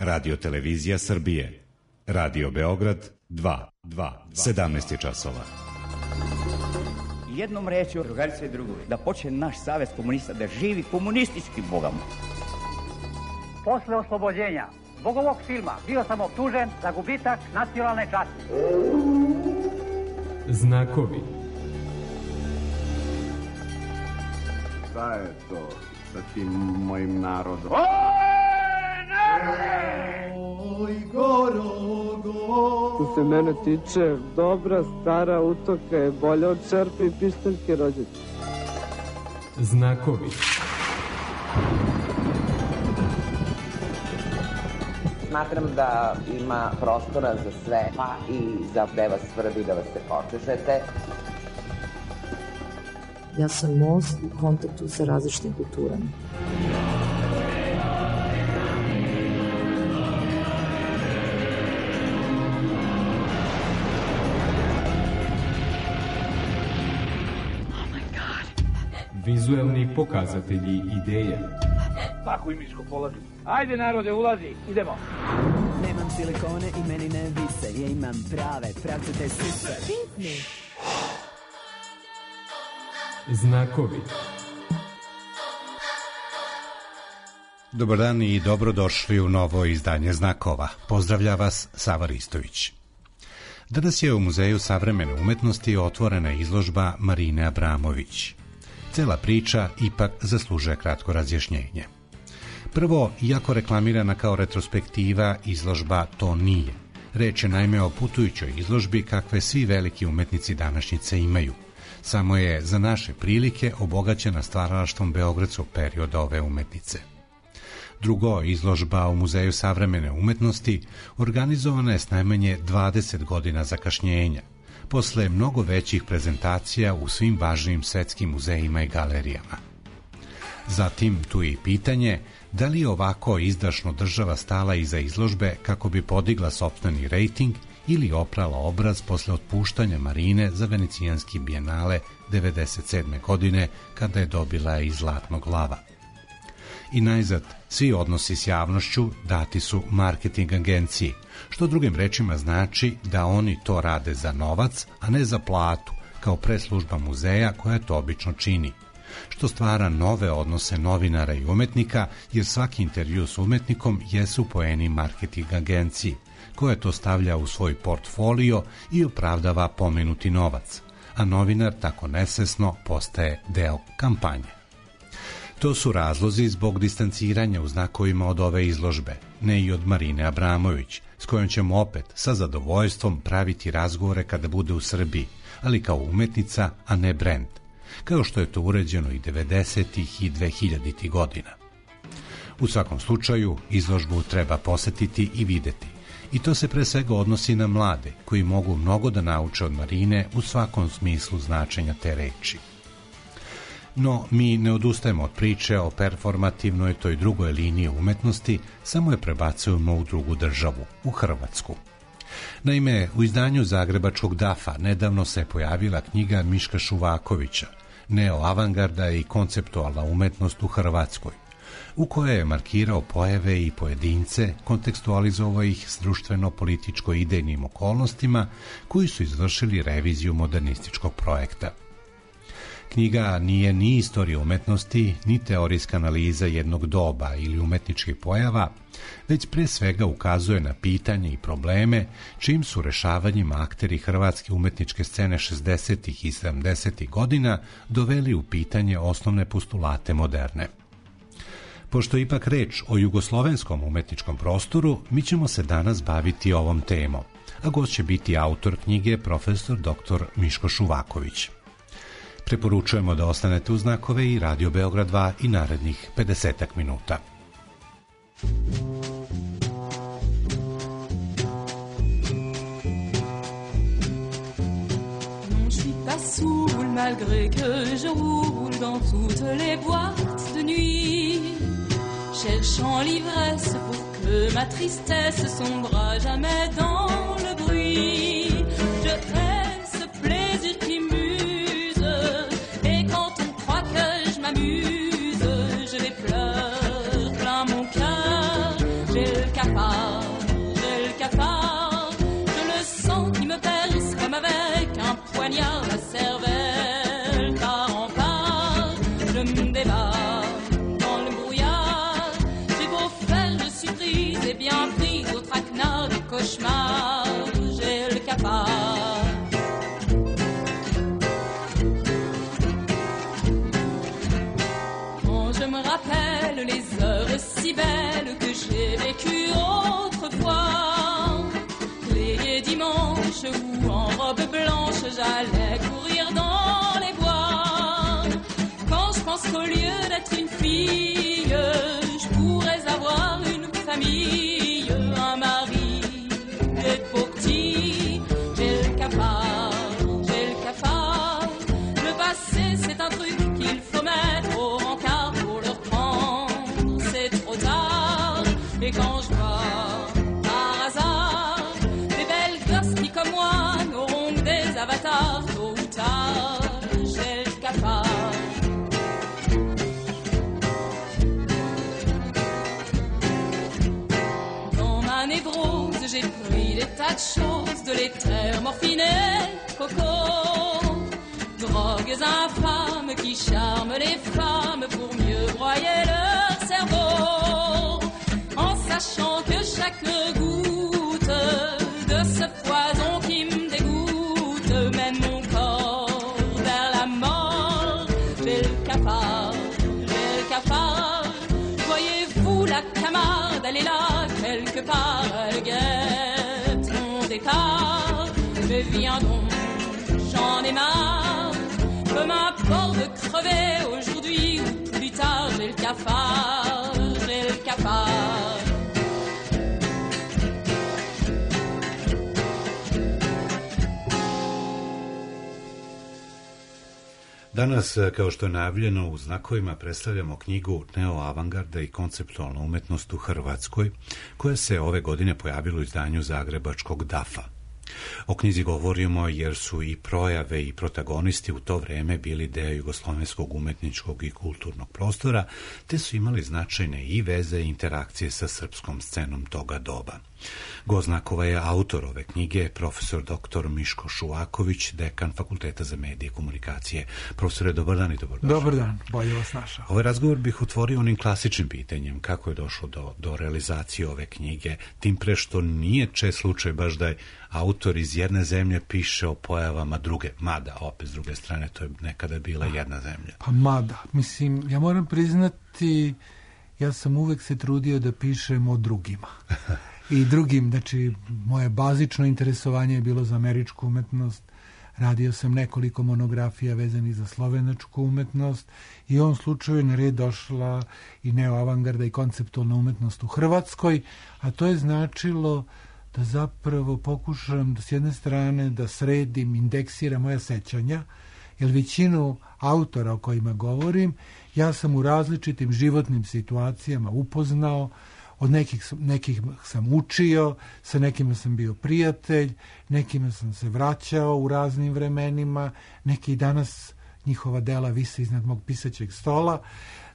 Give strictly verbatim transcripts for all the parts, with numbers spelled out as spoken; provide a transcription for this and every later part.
Radio Televizija Srbije. Radio Beograd dva, sedamnaest je časova. Jednom rečju, drugarice i drugovi, da počne naš savez komunista da živi komunistički bogama. Posle oslobođenja zbog ovog filma bio sam optužen za gubitak nacionalne časti. Znakovi. Šta je to sa tim mojim narodom? Oj, narode! Oj, goro, što se mene tiče, dobra stara utoka je bolja od čerpe i pištaljke rođaca. Znakovi. Smatram da ima prostora za sve, pa i za gde vas svrbi da vas se počešete. Ja sam most u kontaktu sa različitim kulturama. Vizuelni pokazatelji ideje. Tako i miško polazi. Ajde narode, ulazi, idemo. Nemam silikone i meni ne vise, ja imam prave, pravcate sise. Pitni. Znakovi. Dobar dan i dobrodošli u novo izdanje Znakova. Pozdravlja vas Sava Ristović. Danas je u Muzeju savremene umetnosti otvorena izložba Marine Abramović. Cela priča ipak zaslužuje kratko razjašnjenje. Prvo, iako reklamirana kao retrospektiva, izložba to nije. Reč je naime o putujućoj izložbi kakve svi veliki umetnici današnjice imaju. Samo je za naše prilike obogaćena stvaralaštvom beogradskog perioda ove umetnice. Drugo, izložba u Muzeju savremene umetnosti organizovana je s najmanje dvadeset godina zakašnjenja, posle mnogo većih prezentacija u svim važnim svetskim muzejima i galerijama. Zatim, tu je i pitanje da li je ovako izdašno država stala iza izložbe kako bi podigla sopstveni rejting ili oprala obraz posle otpuštanja Marine za Venecijanski bijenale devedeset sedme godine kada je dobila i Zlatnog lava. I najzad, svi odnosi s javnošću dati su marketing agenciji, što drugim rečima znači da oni to rade za novac, a ne za platu, kao preslužba muzeja koja to obično čini, što stvara nove odnose novinara i umetnika, jer svaki intervju s umetnikom jesu poeni marketing agenciji, koja to stavlja u svoj portfolio i opravdava pomenuti novac, a novinar tako nesvesno postaje deo kampanje. To su razlozi zbog distanciranja u znakovima od ove izložbe, ne i od Marine Abramović, s kojom ćemo opet sa zadovoljstvom praviti razgovore kada bude u Srbiji, ali kao umetnica, a ne brend, kao što je to uređeno i devedesetih i dvehiljaditih godina. U svakom slučaju, izložbu treba posetiti i videti, i to se pre svega odnosi na mlade, koji mogu mnogo da nauče od Marine u svakom smislu značenja te reči. No, mi ne odustajemo od priče o performativnoj toj drugoj liniji umetnosti, samo je prebacujemo u drugu državu, u Hrvatsku. Naime, u izdanju zagrebačkog dafa nedavno se pojavila knjiga Miška Šuvakovića, Neo-avangarda i konceptualna umetnost u Hrvatskoj, u kojoj je markirao pojave i pojedince, kontekstualizovao ih s društveno-političko-idejnim okolnostima koji su izvršili reviziju modernističkog projekta. Knjiga nije ni istorija umetnosti, ni teorijska analiza jednog doba ili umetničkih pojava, već pre svega ukazuje na pitanje i probleme čim su rešavanjima akteri hrvatske umetničke scene šezdesetih i sedamdesetih godina doveli u pitanje osnovne postulate moderne. Pošto je ipak reč o jugoslovenskom umetničkom prostoru, mi ćemo se danas baviti ovom temom, a gost će biti autor knjige profesor doktor Miško Šuvaković. Preporučujemo da ostanete uz Znakove i Radio Beograd dva i narednih pedesetak minuta. Non, je suis pas saoul malgré que je roule dans toutes les boîtes de nuit, cherchant l'ivresse pour que ma tristesse sombre jamais dans le bruit. Je hais ce plaisir qui m'use, et quand on croit que je m'amuse, je les pleure plein mon cœur. J'ai le cafard cafard, j'ai le cafard, je le sens qui me perce comme avec un poignard la cervelle, part en part, je me débat dans le brouillard, j'ai beau faire, je suis prise et bien prise au traquenard du cauchemar, j'ai le cafard. Les heures si belles que j'ai vécues autrefois, les dimanches où en robe blanche j'allais courir dans les bois. Quand je pense qu'au lieu d'être une fille, je pourrais avoir une famille, un mari et pour petit, j'ai le cafard, j'ai le cafard. Le passé c'est un truc qu'il faut mettre au rencard pour le reprendre. Et quand je vois, par hasard, des belles gosses qui, comme moi, n'auront que des avatars, tôt ou tard, j'ai le cafard. Dans ma névrose, j'ai pris des tas de choses, de l'éther, morphine et coco. Drogues infâmes qui charment les femmes pour mieux broyer leur cerveau. Sachant que chaque goutte de ce poison qui me dégoûte mène mon corps vers la mort. J'ai le cafard, j'ai le cafard. Voyez-vous la Camarde, elle est là quelque part, elle guette mon départ. Mais viens donc, j'en ai marre. Peu m'importe de crever aujourd'hui ou plus tard. J'ai le cafard, j'ai le cafard. Danas, kao što je najavljeno, u znakovima predstavljamo knjigu Neoavangarda i konceptualna umetnost u Hrvatskoj, koja se ove godine pojavila u izdanju zagrebačkog dafa. O knjizi govorimo jer su i projave i protagonisti u to vreme bili deo jugoslovenskog umetničkog i kulturnog prostora, te su imali značajne i veze i interakcije sa srpskom scenom toga doba. Gost znakova je autor ove knjige, profesor doktor Miško Šuvaković, dekan Fakulteta za medije i komunikacije. Profesore, dobar dan i dobrodošli. Dobar dan, bolje vas našao. Ovaj razgovor bih otvorio onim klasičnim pitanjem, kako je došlo do, do realizacije ove knjige, tim pre što nije čest slučaj baš da je autor iz jedne zemlje piše o pojavama druge, mada opet s druge strane to je nekada bila jedna zemlja. Pa mada, mislim, ja moram priznati, ja sam uvek se trudio da pišem o drugima. I drugim, znači, moje bazično interesovanje je bilo za američku umetnost, radio sam nekoliko monografija vezanih za slovenačku umetnost i u ovom slučaju je na red došla i neoavangarda i konceptualna umetnost u Hrvatskoj, a to je značilo da zapravo pokušam da s jedne strane da sredim, indeksiram moja sećanja, jer većinu autora o kojima govorim ja sam u različitim životnim situacijama upoznao, od nekih, nekih sam učio, sa nekima sam bio prijatelj, nekima sam se vraćao u raznim vremenima, neki danas njihova dela vise iznad mog pisaćeg stola,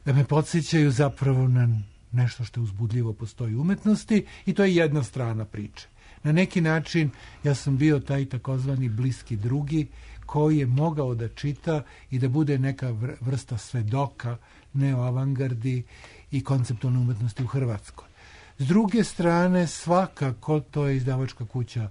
da me podsjećaju zapravo na nešto što je uzbudljivo postoji u umetnosti i to je jedna strana priče. Na neki način ja sam bio taj takozvani bliski drugi koji je mogao da čita i da bude neka vrsta svedoka neoavangardi i konceptualne umetnosti u Hrvatskoj. S druge strane, svakako, to je izdavačka kuća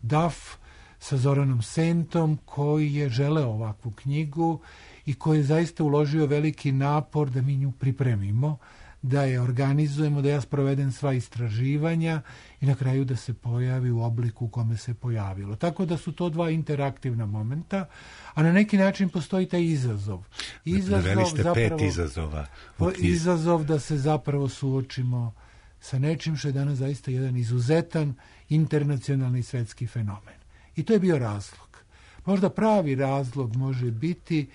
D A F sa Zoranom Sentom, koji je želeo ovakvu knjigu i koji je zaista uložio veliki napor da mi nju pripremimo, da je organizujemo, da ja sprovedem sva istraživanja i na kraju da se pojavi u obliku u kome se pojavilo. Tako da su to dva interaktivna momenta, a na neki način postoji taj izazov. Izazov, Naveli ste zapravo, pet izazova. Izazov da se zapravo suočimo sa nečim što je danas zaista jedan izuzetan internacionalni svetski fenomen. I to je bio razlog. Možda pravi razlog može biti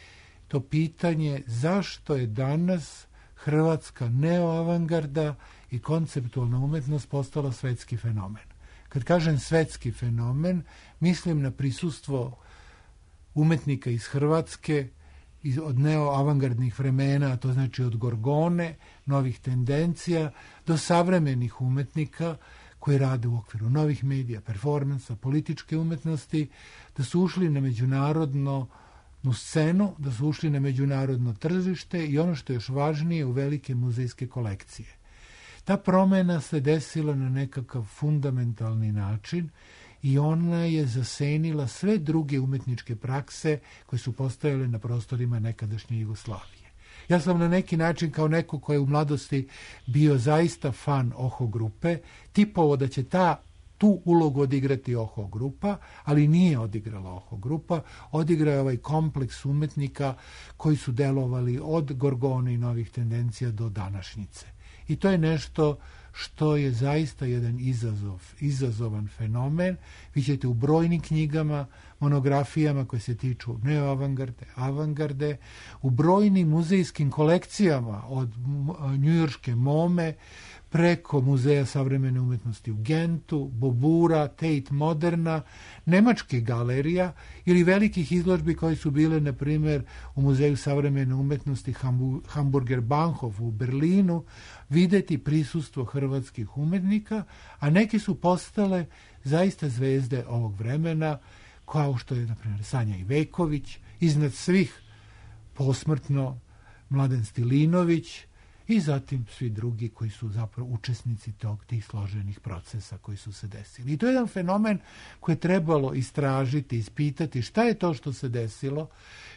to pitanje zašto je danas hrvatska neoavangarda i konceptualna umetnost postala svetski fenomen. Kad kažem svetski fenomen, mislim na prisustvo umetnika iz Hrvatske, iz, od neoavangardnih vremena, a to znači od Gorgone, novih tendencija, do savremenih umetnika koji rade u okviru novih medija, performansa, političke umetnosti, da su ušli na međunarodno u scenu, da su ušli na međunarodno tržište i ono što je još važnije, u velike muzejske kolekcije. Ta promjena se desila na nekakav fundamentalni način i ona je zasenila sve druge umetničke prakse koje su postojale na prostorima nekadašnje Jugoslavije. Ja sam na neki način, kao neko ko je u mladosti bio zaista fan Oho grupe, tipovo da će ta tu ulogu odigrati Oho grupa, ali nije odigrala Oho grupa, odigrao je ovaj kompleks umetnika koji su delovali od Gorgone i Novih tendencija do današnjice. I to je nešto što je zaista jedan izazov, izazovan fenomen. Vi ćete u brojnim knjigama, monografijama koje se tiču neoavangarde, avangarde, u brojnim muzejskim kolekcijama od njujorške Mome preko Muzeja savremene umetnosti u Gentu, Bobura, Tate Moderna, nemačkih galerija ili velikih izložbi koje su bile, na primjer, u Muzeju savremene umetnosti Hamburger Bahnhof u Berlinu, videti prisustvo hrvatskih umetnika, a neki su postale zaista zvezde ovog vremena, kao što je, na primjer, Sanja Iveković, iznad svih posmrtno Mladen Stilinović, i zatim svi drugi koji su zapravo učesnici tog, tih složenih procesa koji su se desili. I to je jedan fenomen koji je trebalo istražiti, ispitati šta je to što se desilo,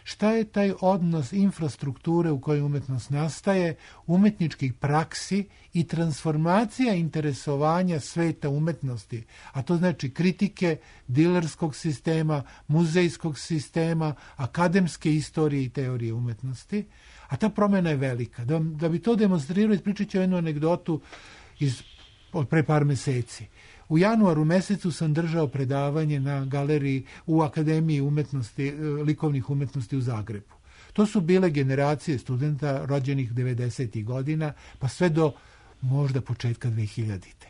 šta je taj odnos infrastrukture u kojoj umetnost nastaje, umetničkih praksi i transformacija interesovanja sveta umetnosti. A to znači kritike dilerskog sistema, muzejskog sistema, akademske istorije i teorije umetnosti. A ta promjena je velika. Da, da bi to demonstrirao, ispričat ću jednu anegdotu iz, od pre par meseci. U januaru mesecu sam držao predavanje na galeriji u Akademiji umetnosti, likovnih umetnosti u Zagrebu. To su bile generacije studenta rođenih devedesetih godina, pa sve do možda početka dvehiljadite.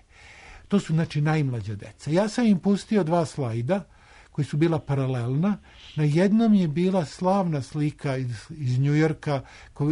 To su, znači, najmlađa deca. Ja sam im pustio dva slajda koji su bila paralelna. Na jednom je bila slavna slika iz, iz Njujorka,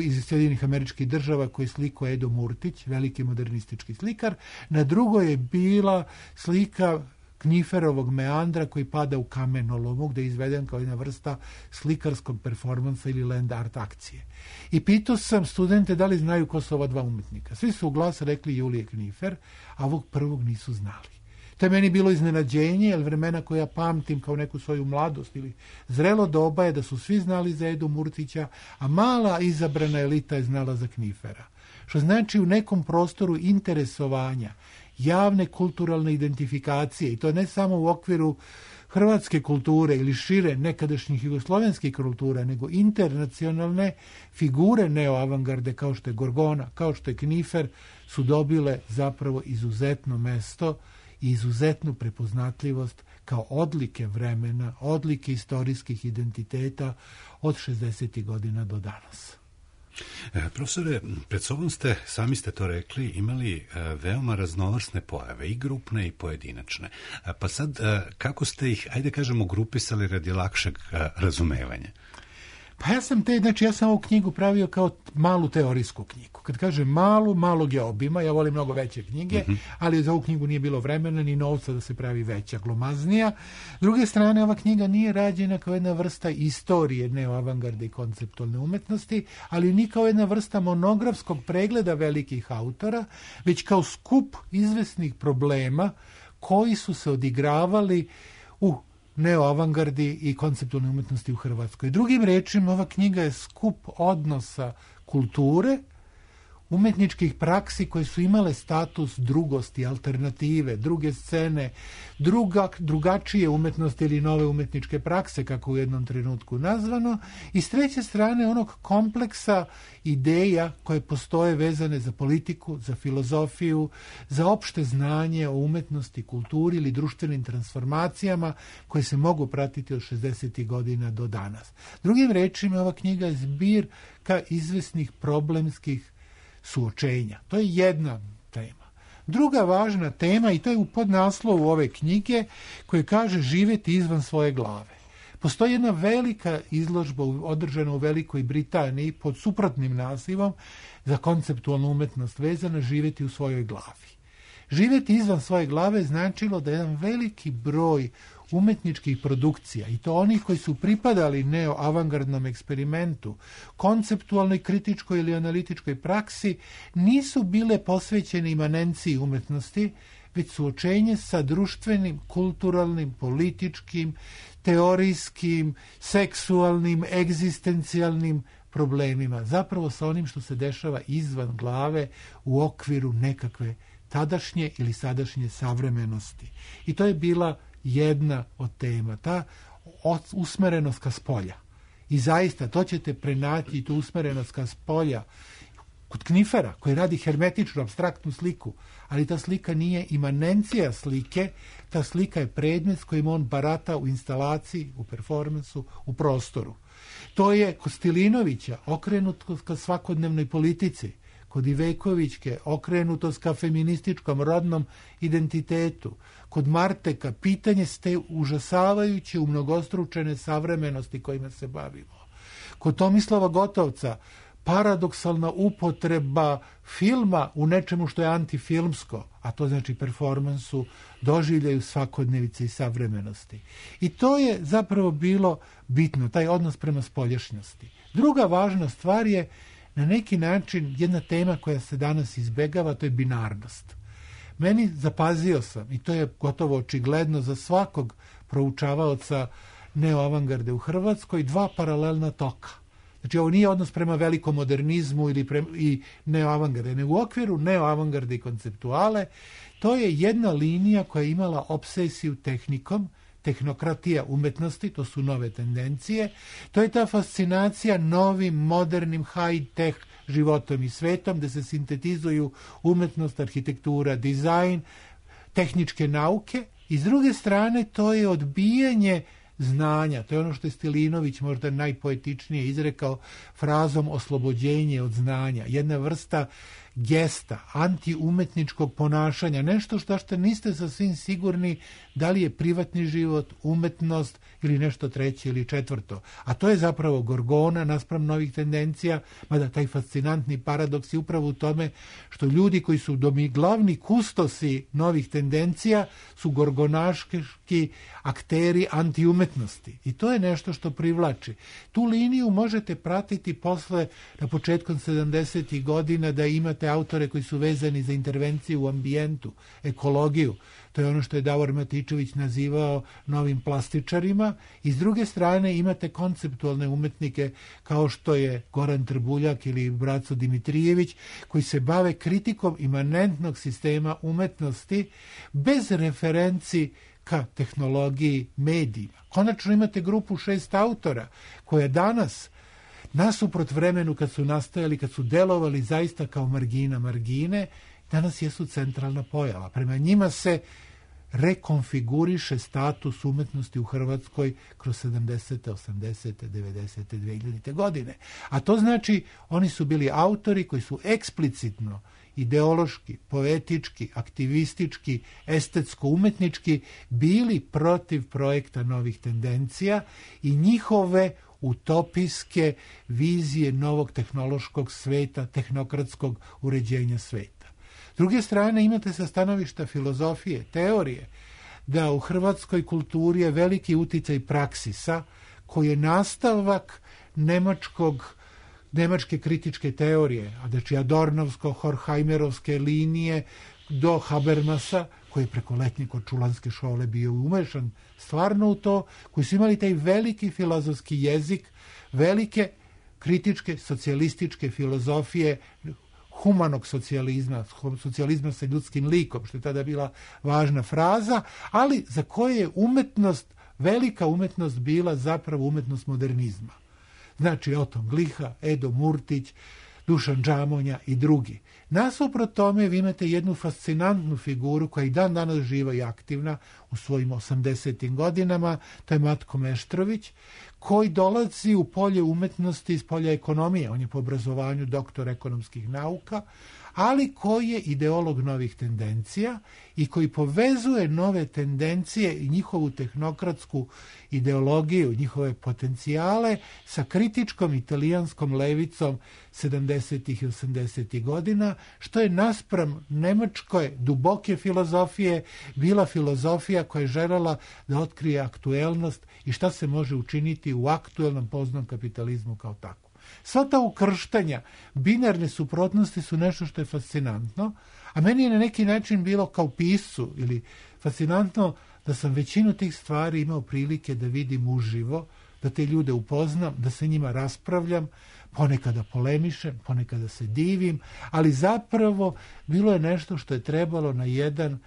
iz Sjedinjenih Američkih Država, koji je slikao Edo Murtić, veliki modernistički slikar. Na drugoj je bila slika Kniferovog meandra koji pada u kamenolomu, gde je izveden kao jedna vrsta slikarskog performansa ili land art akcije. I pitao sam studente da li znaju ko su ova dva umetnika. Svi su u glas rekli Julije Knifer, a ovog prvog nisu znali. To je meni bilo iznenađenje, jer vremena koja ja pamtim kao neku svoju mladost ili zrelo doba je da su svi znali za Edu Murtića, a mala izabrana elita je znala za Knifera. Što znači u nekom prostoru interesovanja, javne kulturalne identifikacije, i to ne samo u okviru hrvatske kulture ili šire nekadašnjih jugoslovenskih kultura, nego internacionalne figure neoavangarde kao što je Gorgona, kao što je Knifer, su dobile zapravo izuzetno mesto i izuzetnu prepoznatljivost kao odlike vremena, odlike istorijskih identiteta od šezdesetih godina do danas. E, profesore, pred sobom ste, sami ste to rekli, imali e, veoma raznovrsne pojave, i grupne i pojedinačne. E, pa sad, e, kako ste ih, ajde kažemo, grupisali radi lakšeg e, razumevanja? Pa ja sam te, znači ja sam ovu knjigu pravio kao malu teorijsku knjigu. Kad kažem malu, malog je obima, ja volim mnogo veće knjige, mm-hmm. ali za ovu knjigu nije bilo vremena ni novca da se pravi veća, glomaznija. S druge strane, ova knjiga nije rađena kao jedna vrsta istorije neoavangarde i konceptualne umetnosti, ali ni kao jedna vrsta monografskog pregleda velikih autora, već kao skup izvesnih problema koji su se odigravali u neoavangardi i konceptualne umetnosti u Hrvatskoj. Drugim rečima, ova knjiga je skup odnosa kulture, umetničkih praksi koje su imale status drugosti, alternative, druge scene, druga, drugačije umetnosti ili nove umetničke prakse, kako u jednom trenutku nazvano, i s treće strane onog kompleksa ideja koje postoje vezane za politiku, za filozofiju, za opšte znanje o umetnosti, kulturi ili društvenim transformacijama koje se mogu pratiti od šezdesetih godina do danas. Drugim rečima, ova knjiga je zbirka izvesnih problemskih suočenja. To je jedna tema. Druga važna tema, i to je u podnaslovu ove knjige, koje kaže živjeti izvan svoje glave. Postoji jedna velika izložba održana u Velikoj Britaniji pod suprotnim nazivom za konceptualnu umetnost vezana živjeti u svojoj glavi. živjeti izvan svoje glave značilo da jedan veliki broj umetničkih produkcija, i to onih koji su pripadali neo-avangardnom eksperimentu, konceptualnoj, kritičkoj ili analitičkoj praksi, nisu bile posvećene imanenciji umetnosti, već suočenje sa društvenim, kulturalnim, političkim, teorijskim, seksualnim, egzistencijalnim problemima. Zapravo sa onim što se dešava izvan glave u okviru nekakve tadašnje ili sadašnje savremenosti. I to je bila jedna od tema, ta usmerenost ka spolja. I zaista, to ćete prenaći, tu usmerenost ka spolja kod Knifera, koji radi hermetičnu, apstraktnu sliku, ali ta slika nije imanencija slike, ta slika je predmet s kojim on barata u instalaciji, u performansu, u prostoru. To je kod Stilinovića okrenutost ka svakodnevnoj politici, kod Ivekovićke okrenutost ka feminističkom rodnom identitetu, kod Marteka pitanje ste užasavajuće u mnogostručene savremenosti kojima se bavimo. Kod Tomislava Gotovca paradoksalna upotreba filma u nečemu što je antifilmsko, a to znači performansu, doživljaju svakodnevice i savremenosti. I to je zapravo bilo bitno, taj odnos prema spoljašnjosti. Druga važna stvar je na neki način jedna tema koja se danas izbegava, to je binarnost. Meni, zapazio sam, i to je gotovo očigledno za svakog proučavaoca neoavangarde u Hrvatskoj, dva paralelna toka. Znači, ovo nije odnos prema velikom modernizmu ili prema, i neoavangarde, nego u okviru neoavangarde i konceptuale, to je jedna linija koja je imala obsesiju tehnikom, tehnokratija umetnosti, to su nove tendencije, to je ta fascinacija novim, modernim, high-tech životom i svetom, gde se sintetizuju umetnost, arhitektura, dizajn, tehničke nauke, i s druge strane to je odbijanje znanja. To je ono što je Stilinović možda najpoetičnije izrekao frazom oslobođenje od znanja. Jedna vrsta gesta, antiumetničkog ponašanja, nešto što što niste sasvim sigurni da li je privatni život, umetnost ili nešto treće ili četvrto. A to je zapravo Gorgona naspram novih tendencija, mada taj fascinantni paradoks je upravo u tome što ljudi koji su domi glavni kustosi novih tendencija su gorgonaški akteri antiumetnosti. I to je nešto što privlači. Tu liniju možete pratiti posle, na početkom sedamdesetih godina, da imate autore koji su vezani za intervenciju u ambijentu, ekologiju. To je ono što je Davor Matičević nazivao novim plastičarima. I s druge strane imate konceptualne umetnike kao što je Goran Trbuljak ili Braco Dimitrijević, koji se bave kritikom imanentnog sistema umetnosti bez referenci ka tehnologiji, medijima. Konačno imate grupu šest autora koja danas, nasuprot vremenu kad su nastajali, kad su delovali zaista kao margina margine, danas jesu centralna pojava. Prema njima se rekonfiguriše status umetnosti u Hrvatskoj kroz sedamdesete, osamdesete, devedesete, dvehiljadite godine. A to znači, oni su bili autori koji su eksplicitno ideološki, poetički, aktivistički, estetsko-umetnički bili protiv projekta novih tendencija i njihove utopijske vizije novog tehnološkog sveta, tehnokratskog uređenja sveta. S druge strane, imate sa stanovišta filozofije, teorije, da u hrvatskoj kulturi je veliki uticaj praksisa, koji je nastavak nemačkog nemačke kritičke teorije, a znači Adornovsko-Horkheimerovske linije do Habermasa, koji je preko letnje Korčulanske škole bio umešan stvarno u to, koji su imali taj veliki filozofski jezik, velike kritičke socijalističke filozofije humanog socijalizma, socijalizma sa ljudskim likom, što je tada bila važna fraza, ali za koje je umetnost, velika umetnost bila zapravo umetnost modernizma. Znači Oton Gliha, Edo Murtić, Dušan Džamonja i drugi. Nasuprot tome vi imate jednu fascinantnu figuru koja i dan danas živa i aktivna u svojim osamdesetim godinama, to je Matko Meštrović, koji dolazi u polje umetnosti iz polja ekonomije. On je po obrazovanju doktor ekonomskih nauka, ali koji je ideolog novih tendencija i koji povezuje nove tendencije i njihovu tehnokratsku ideologiju, njihove potencijale sa kritičkom italijanskom levicom sedamdesetih i osamdesetih godina, što je naspram nemačke duboke filozofije bila filozofija koja je željela da otkrije aktuelnost i šta se može učiniti u aktuelnom poznom kapitalizmu kao tako. Sva ta ukrštanja, binarne suprotnosti su nešto što je fascinantno, a meni je na neki način bilo kao piscu ili fascinantno da sam većinu tih stvari imao prilike da vidim uživo, da te ljude upoznam, da se njima raspravljam, ponekada polemišem, ponekada se divim, ali zapravo bilo je nešto što je trebalo na jedan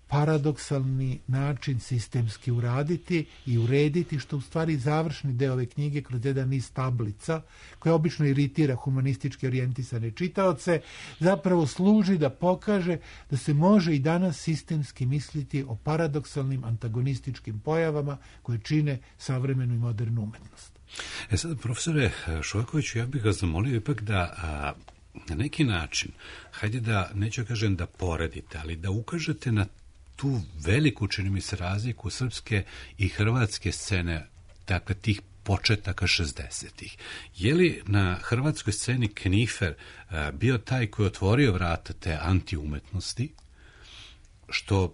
paradoksalni način sistemski uraditi i urediti, što u stvari završni deo ove knjige kroz jedan niz tablica, koja obično iritira humanistički orijentisane čitaoce, zapravo služi da pokaže da se može i danas sistemski misliti o paradoksalnim antagonističkim pojavama koje čine savremenu i modernu umetnost. E sad, profesore Šojakoviću, ja bih vas zamolio ipak da a, na neki način, hajde da, neću kažem da poredite, ali da ukažete na tu veliku, čini mi se, razliku srpske i hrvatske scene, dakle tih početaka šezdesetih. Je li na hrvatskoj sceni Knifer a, bio taj koji je otvorio vrata te antiumetnosti, što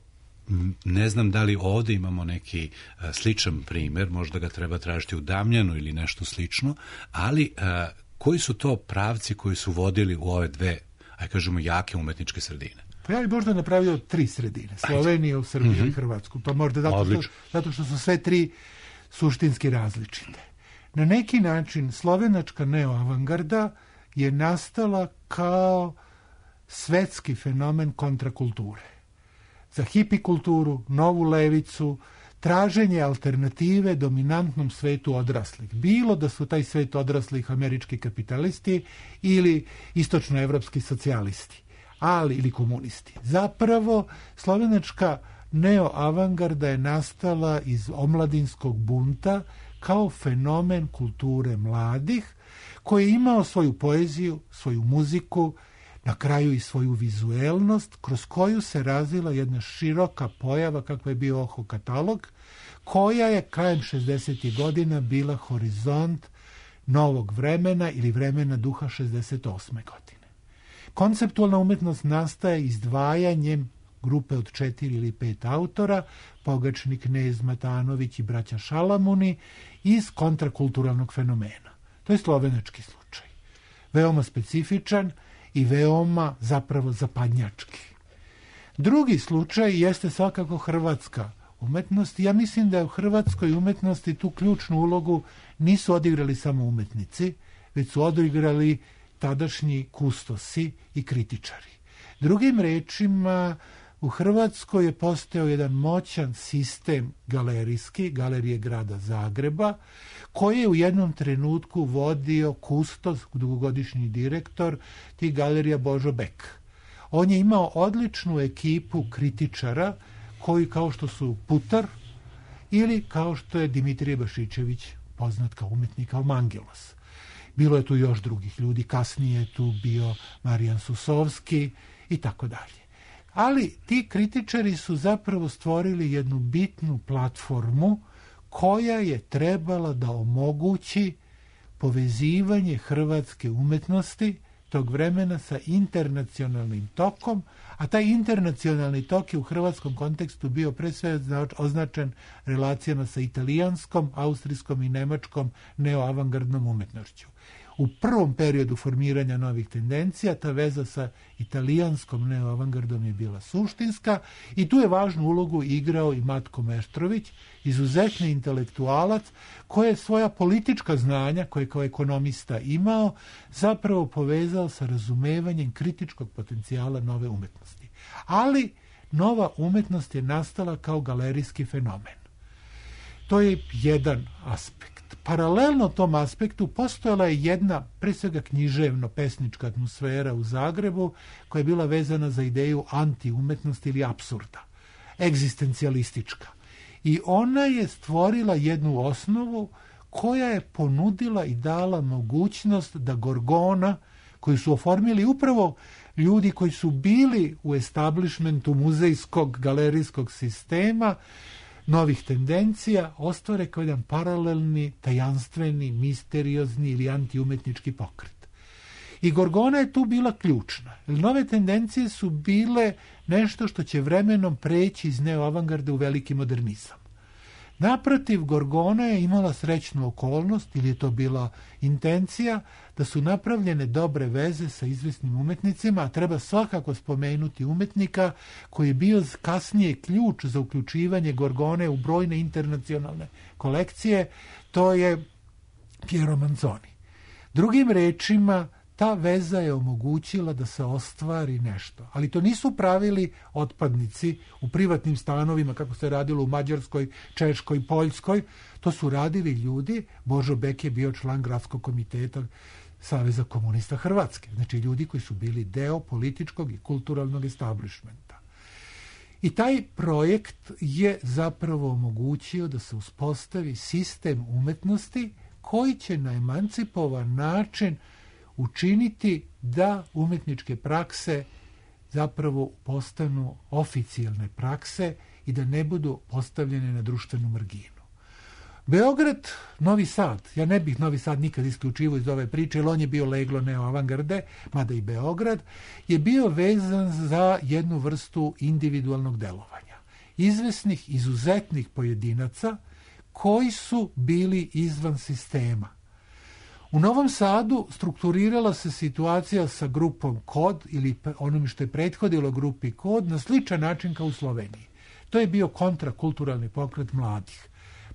ne znam da li ovdje imamo neki a, sličan primjer, možda ga treba tražiti u Damjanu ili nešto slično, ali a, koji su to pravci koji su vodili u ove dve, aj kažemo, jake umetničke sredine? Pa ja bih možda napravio tri sredine, Sloveniju, Srbiju mm-hmm. i Hrvatsku. To možda zato što, zato što su sve tri suštinski različite. Na neki način slovenačka neoavangarda je nastala kao svetski fenomen kontrakulture. Za hipikulturu, novu levicu, traženje alternative dominantnom svetu odraslih. Bilo da su taj svet odraslih američki kapitalisti ili istočnoevropski socijalisti, ali ili komunisti. Zapravo, slovenačka neoavangarda je nastala iz omladinskog bunta kao fenomen kulture mladih, koji je imao svoju poeziju, svoju muziku, na kraju i svoju vizuelnost, kroz koju se razvila jedna široka pojava kakva je bio Oho katalog, koja je krajem šezdesetih godina bila horizont novog vremena ili vremena duha šezdeset osme godine. Konceptualna umetnost nastaje izdvajanjem grupe od četiri ili pet autora, Pogačni, Knez, Matanović i braća Šalamuni, iz kontrakulturalnog fenomena. To je slovenački slučaj. Veoma specifičan i veoma zapravo zapadnjački. Drugi slučaj jeste svakako hrvatska umetnost. Ja mislim da u hrvatskoj umetnosti tu ključnu ulogu nisu odigrali samo umetnici, već su odigrali tadašnji kustosi i kritičari. Drugim rečima, u Hrvatskoj je postojao jedan moćan sistem galerijski, Galerije grada Zagreba, koji je u jednom trenutku vodio kustos, dugogodišnji direktor tih galerija Božo Bek. On je imao odličnu ekipu kritičara koji kao što su Putar ili kao što je Dimitrije Bašićević, poznat kao umetnik, kao Mangelos. Bilo je tu još drugih ljudi, kasnije je tu bio Marijan Susovski i tako dalje. Ali ti kritičari su zapravo stvorili jednu bitnu platformu koja je trebala da omogući povezivanje hrvatske umetnosti tog vremena sa internacionalnim tokom, a taj internacionalni tok je u hrvatskom kontekstu bio pre sve označen relacijama sa italijanskom, austrijskom i nemačkom neoavangardnom umetnošću. U prvom periodu formiranja novih tendencija ta veza sa italijanskom neoavangardom je bila suštinska i tu je važnu ulogu igrao i Matko Meštrović, izuzetni intelektualac koji je svoja politička znanja, koje je kao ekonomista imao, zapravo povezao sa razumevanjem kritičkog potencijala nove umetnosti. Ali nova umetnost je nastala kao galerijski fenomen. To je jedan aspekt. Paralelno tom aspektu postojala je jedna, pre svega književno-pesnička atmosfera u Zagrebu, koja je bila vezana za ideju antiumetnosti ili apsurda, egzistencijalistička. I ona je stvorila jednu osnovu koja je ponudila i dala mogućnost da Gorgona, koju su oformili upravo ljudi koji su bili u establishmentu muzejskog, galerijskog sistema, novih tendencija, ostvare kao jedan paralelni, tajanstveni, misteriozni ili antiumetnički pokret. I Gorgona je tu bila ključna. Nove tendencije su bile nešto što će vremenom preći iz neoavangarde u veliki modernizam. Naprotiv, Gorgona je imala srećnu okolnost, ili je to bila intencija, da su napravljene dobre veze sa izvesnim umetnicima, a treba svakako spomenuti umetnika koji je bio kasnije ključ za uključivanje Gorgone u brojne internacionalne kolekcije, to je Piero Manzoni. Drugim rečima, ta veza je omogućila da se ostvari nešto. Ali to nisu pravili otpadnici u privatnim stanovima, kako se radilo u Mađarskoj, Češkoj, Poljskoj. To su radili ljudi. Božo Bek je bio član gradskog komiteta Saveza komunista Hrvatske. Znači ljudi koji su bili deo političkog i kulturalnog establishmenta. I taj projekt je zapravo omogućio da se uspostavi sistem umetnosti koji će na emancipovan način učiniti da umetničke prakse zapravo postanu oficijalne prakse i da ne budu postavljene na društvenu marginu. Beograd, Novi Sad, ja ne bih Novi Sad nikad isključivo iz ove priče, jer on je bio leglo neoavangarde, mada i Beograd, je bio vezan za jednu vrstu individualnog delovanja. Izvesnih, izuzetnih pojedinaca koji su bili izvan sistema. U Novom Sadu strukturirala se situacija sa grupom Kod ili onom što je prethodilo grupi Kod na sličan način kao u Sloveniji. To je bio kontrakulturalni pokret mladih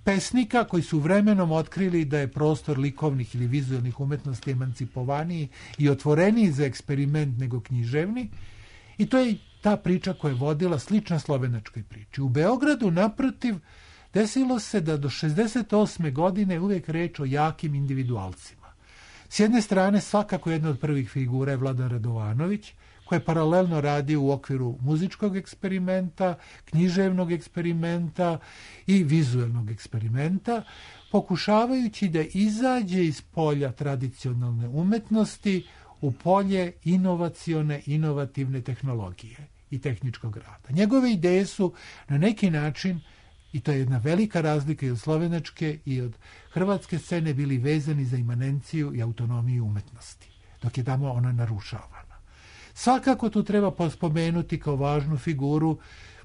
pesnika koji su vremenom otkrili da je prostor likovnih ili vizualnih umetnosti emancipovaniji i otvoreniji za eksperiment nego književni. I to je ta priča koja je vodila slična slovenačkoj priči. U Beogradu, naprotiv, desilo se da do šezdeset osme godine uvijek reč o jakim individualcima. S jedne strane, svakako jedna od prvih figura je Vladan Radovanović, koji je paralelno radio u okviru muzičkog eksperimenta, književnog eksperimenta i vizuelnog eksperimenta, pokušavajući da izađe iz polja tradicionalne umetnosti u polje inovacione, inovativne tehnologije i tehničkog rada. Njegove ideje su na neki način, i to je jedna velika razlika i od slovenačke i od hrvatske scene, bili vezani za imanenciju i autonomiju umetnosti, dok je tamo ona narušavana. Svakako tu treba spomenuti kao važnu figuru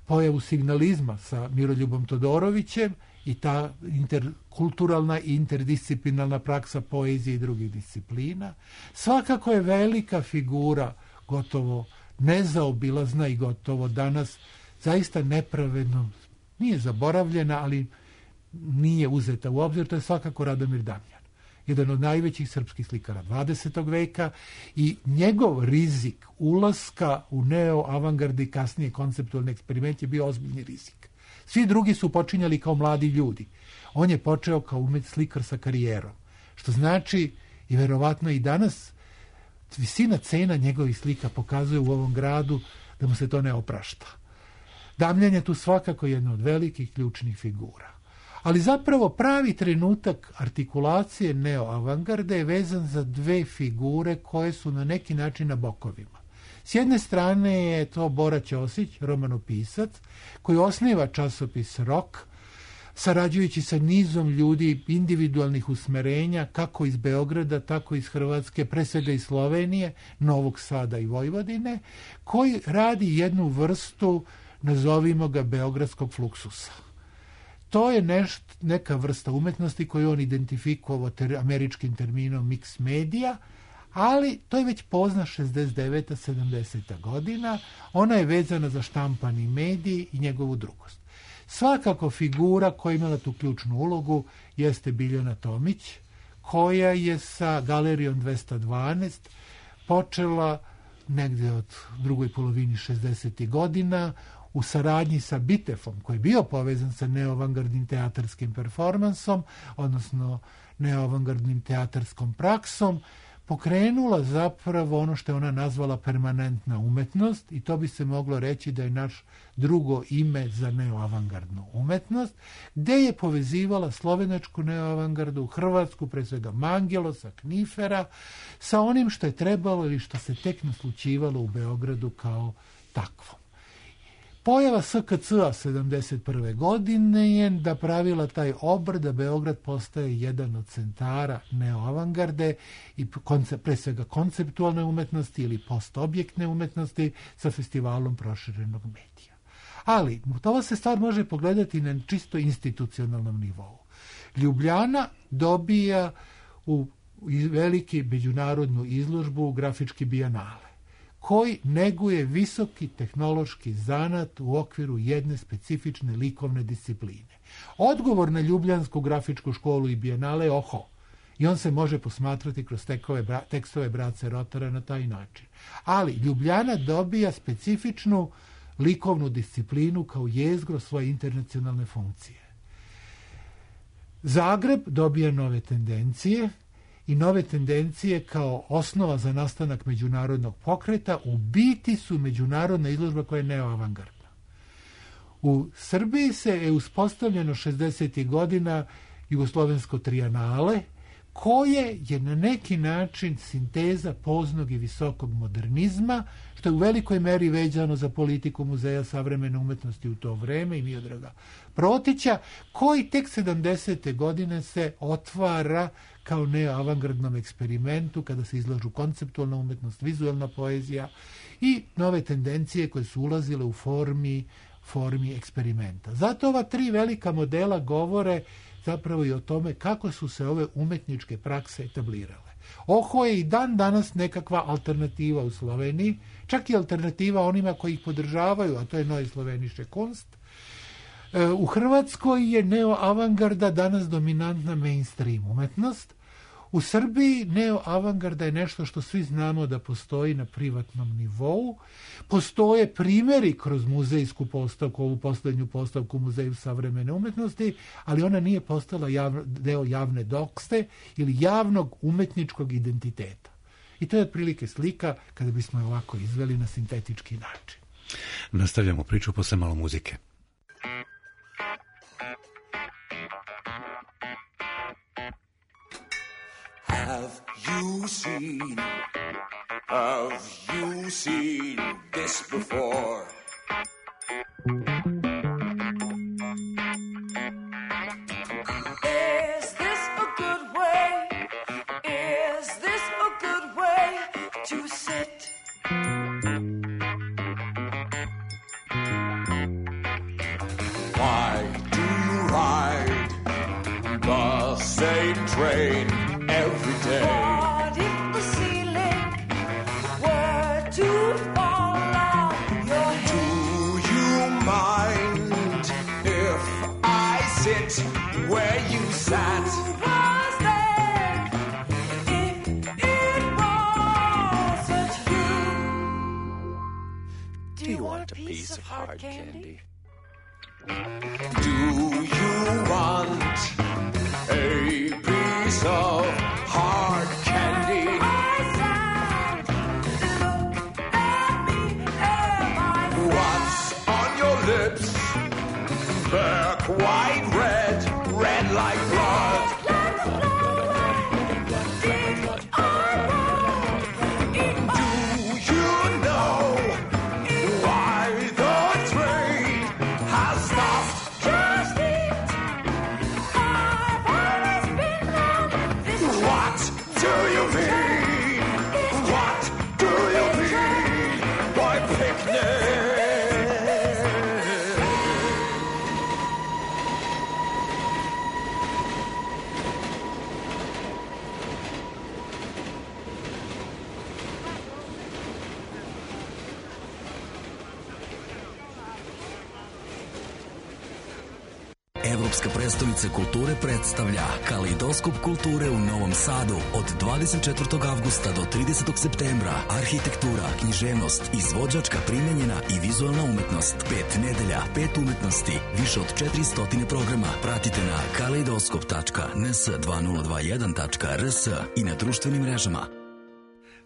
pojavu signalizma sa Miroljubom Todorovićem i ta interkulturalna i interdisciplinarna praksa poezije i drugih disciplina. Svakako je velika figura, gotovo nezaobilazna i gotovo danas zaista nepravedno, nije zaboravljena, ali nije uzeta u obzir, to je svakako Radomir Damjan, jedan od najvećih srpskih slikara dvadesetog veka, i njegov rizik ulaska u neo-avangardi, kasnije konceptualni eksperiment, je bio ozbiljni rizik. Svi drugi su počinjali kao mladi ljudi. On je počeo kao umet slikar sa karijerom, što znači i verovatno i danas visina cena njegovih slika pokazuje u ovom gradu da mu se to ne oprašta. Damjan je tu svakako jedna od velikih ključnih figura. Ali zapravo pravi trenutak artikulacije neoavangarde je vezan za dve figure koje su na neki način na bokovima. S jedne strane je to Bora Ćosić, romanopisac, koji osniva časopis Rok, sarađujući sa nizom ljudi individualnih usmerenja, kako iz Beograda, tako iz Hrvatske, pre svega iz Slovenije, Novog Sada i Vojvodine, koji radi jednu vrstu, nazovimo ga, beogradskog fluksusa. To je neš, neka vrsta umetnosti koju on identifikovao ter, američkim terminom mix medija, ali to je već pozna šezdeset deveta sedamdeseta godina. Ona je vezana za štampani medij i njegovu drugost. Svakako figura koja je imala tu ključnu ulogu jeste Biljana Tomić, koja je sa Galerijom dvesta dvanaest počela negde od drugoj polovini šezdesetih godina u saradnji sa Bitefom, koji je bio povezan sa neoavangardnim teatarskim performansom, odnosno neoavangardnim teatarskom praksom, pokrenula zapravo ono što je ona nazvala permanentna umetnost i to bi se moglo reći da je naš drugo ime za neoavangardnu umetnost, gde je povezivala slovenačku neoavangardu, hrvatsku, pre svega Mangelosa, Knifera, sa onim što je trebalo ili što se tek naslućivalo u Beogradu kao takvom. Pojava S K C-a sedamdeset prve godine je da pravila taj obrt da Beograd postaje jedan od centara neoavangarde i koncept, pre svega konceptualne umetnosti ili postobjektne umetnosti sa festivalom proširenog medija. Ali, to se stvar može pogledati na čisto institucionalnom nivou. Ljubljana dobija u veliki međunarodnu izložbu grafički bijenale, koji neguje visoki tehnološki zanat u okviru jedne specifične likovne discipline. Odgovor na Ljubljansku grafičku školu i bijenale je oho. I on se može posmatrati kroz tekove, tekstove Brace Rotara na taj način. Ali Ljubljana dobija specifičnu likovnu disciplinu kao jezgro svoje internacionalne funkcije. Zagreb dobija nove tendencije, i nove tendencije kao osnova za nastanak međunarodnog pokreta u biti su međunarodna izložba koja je neoavangardna. U Srbiji se je uspostavljeno šezdesetih godina Jugoslovensko trijanale, koje je na neki način sinteza poznog i visokog modernizma, što je u velikoj meri vezano za politiku Muzeja savremene umetnosti u to vreme i Miodraga Protića, koji tek sedamdesete godine se otvara kao neoavangardnom eksperimentu kada se izlažu konceptualna umetnost, vizualna poezija i nove tendencije koje su ulazile u formi, formi eksperimenta. Zato ova tri velika modela govore zapravo i o tome kako su se ove umetničke prakse etablirale. Oho je i dan danas nekakva alternativa u Sloveniji, čak i alternativa onima koji ih podržavaju, a to je Neue Slovenische Kunst. U Hrvatskoj je neoavangarda danas dominantna mainstream umetnost. U Srbiji neoavangarda je nešto što svi znamo da postoji na privatnom nivou. Postoje primjeri kroz muzejsku postavku, ovu posljednju postavku Muzeju savremene umetnosti, ali ona nije postala javno, deo javne dokste ili javnog umetničkog identiteta. I to je otprilike slika kada bismo je ovako izveli na sintetički način. Nastavljamo priču posle malo muzike. Have you seen, have you seen this before? Is this a good way? Is this a good way to sit? Why do you ride the same train every day? What if the ceiling were to fall on your head? Do you mind if I sit where you sat? Who was there if it wasn't you? Do you want a piece of hard candy? Do you want a piece of hard candy? What's on your lips? They're quite red, red like blood. Do you know why the train has stopped? Just eat. I've always been on this train. What do you mean? What do you mean by picnic? Evropska prestolnica kulture predstavlja Kaleidoskop kulture u Novom Sadu od dvadeset četvrtog avgusta do tridesetog septembra. Arhitektura, književnost, izvođačka, primenjena i vizualna umetnost. Pet nedelja, pet umetnosti, više od četiristo programa. Pratite na kaleidoskop tačka n s dve nula dva jedan tačka r s i na društvenim mrežama.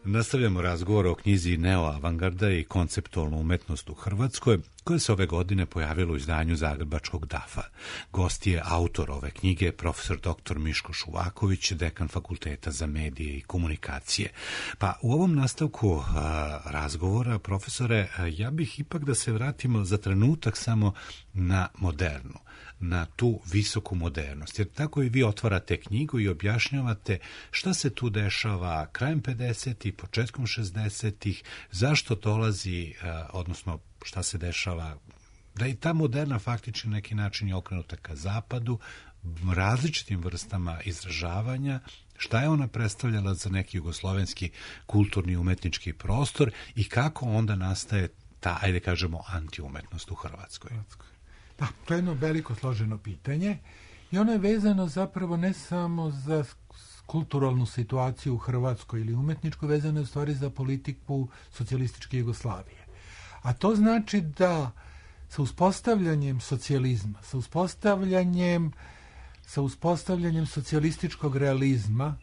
Nastavljamo razgovor o knjizi Neoavangarda i konceptualna umetnost u Hrvatskoj, koja se ove godine pojavila u izdanju Zagrebačkog dafa. Gost je autor ove knjige, profesor doktor Miško Šuvaković, dekan Fakulteta za medije i komunikacije. Pa u ovom nastavku a, razgovora, profesore, a, ja bih ipak da se vratimo za trenutak samo na modernu, na tu visoku modernost. Jer tako i vi otvarate knjigu i objašnjavate šta se tu dešava krajem pedesetih, početkom šezdesetih, zašto dolazi, odnosno šta se dešava, da i ta moderna faktički na neki način je okrenuta ka zapadu, različitim vrstama izražavanja, šta je ona predstavljala za neki jugoslovenski kulturni i umetnički prostor i kako onda nastaje ta, ajde kažemo, antiumetnost u Hrvatskoj. Da, to je jedno veliko složeno pitanje i ono je vezano zapravo ne samo za kulturalnu situaciju u Hrvatskoj ili umetničku, vezano je u stvari za politiku socijalističke Jugoslavije. A to znači da sa uspostavljanjem socijalizma, sa uspostavljanjem, sa uspostavljanjem socijalističkog realizma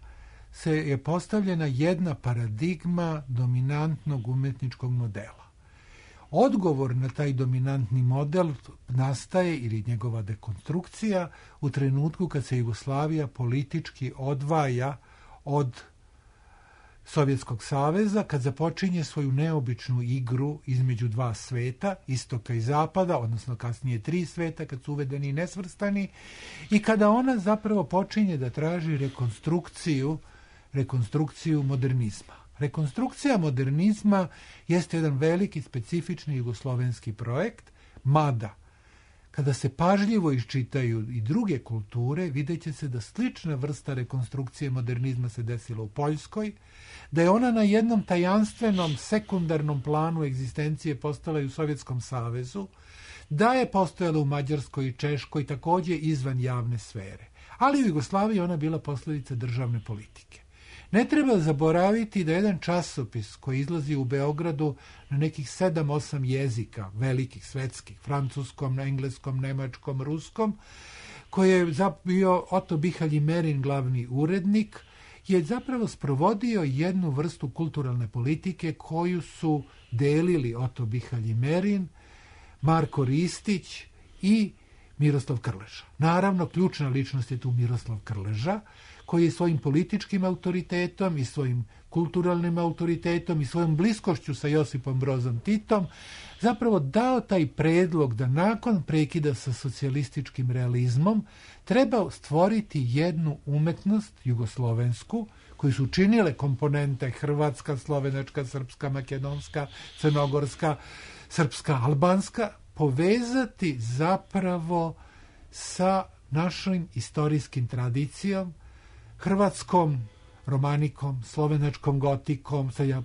se je postavljena jedna paradigma dominantnog umetničkog modela. Odgovor na taj dominantni model nastaje, ili njegova dekonstrukcija, u trenutku kad se Jugoslavija politički odvaja od Sovjetskog saveza, kad započinje svoju neobičnu igru između dva sveta, istoka i zapada, odnosno kasnije tri sveta, kad su uvedeni i nesvrstani, i kada ona zapravo počinje da traži rekonstrukciju, rekonstrukciju modernizma. Rekonstrukcija modernizma jeste jedan veliki, specifični jugoslovenski projekt, mada kada se pažljivo iščitaju i druge kulture, vidjet će se da slična vrsta rekonstrukcije modernizma se desila u Poljskoj, da je ona na jednom tajanstvenom sekundarnom planu egzistencije postala i u Sovjetskom savezu, da je postojala u Mađarskoj i Češkoj također izvan javne sfere. Ali u Jugoslaviji ona bila posljedica državne politike. Ne treba zaboraviti da jedan časopis koji izlazi u Beogradu na nekih sedam osam jezika, velikih, svetskih, francuskom, engleskom, nemačkom, ruskom, koji je bio Oto Bihalj i Merin glavni urednik, je zapravo sprovodio jednu vrstu kulturalne politike koju su delili Oto Bihalj i Merin, Marko Ristić i Miroslav Krleža. Naravno, ključna ličnost je tu Miroslav Krleža, koji je svojim političkim autoritetom i svojim kulturalnim autoritetom i svojom bliskošću sa Josipom Brozom Titom zapravo dao taj predlog da nakon prekida sa socijalističkim realizmom treba stvoriti jednu umetnost jugoslovensku koju su činile komponente hrvatska, slovenačka, srpska, makedonska, crnogorska, srpska, albanska, povezati zapravo sa našim istorijskim tradicijom, hrvatskom romanikom, slovenačkom gotikom, sad ja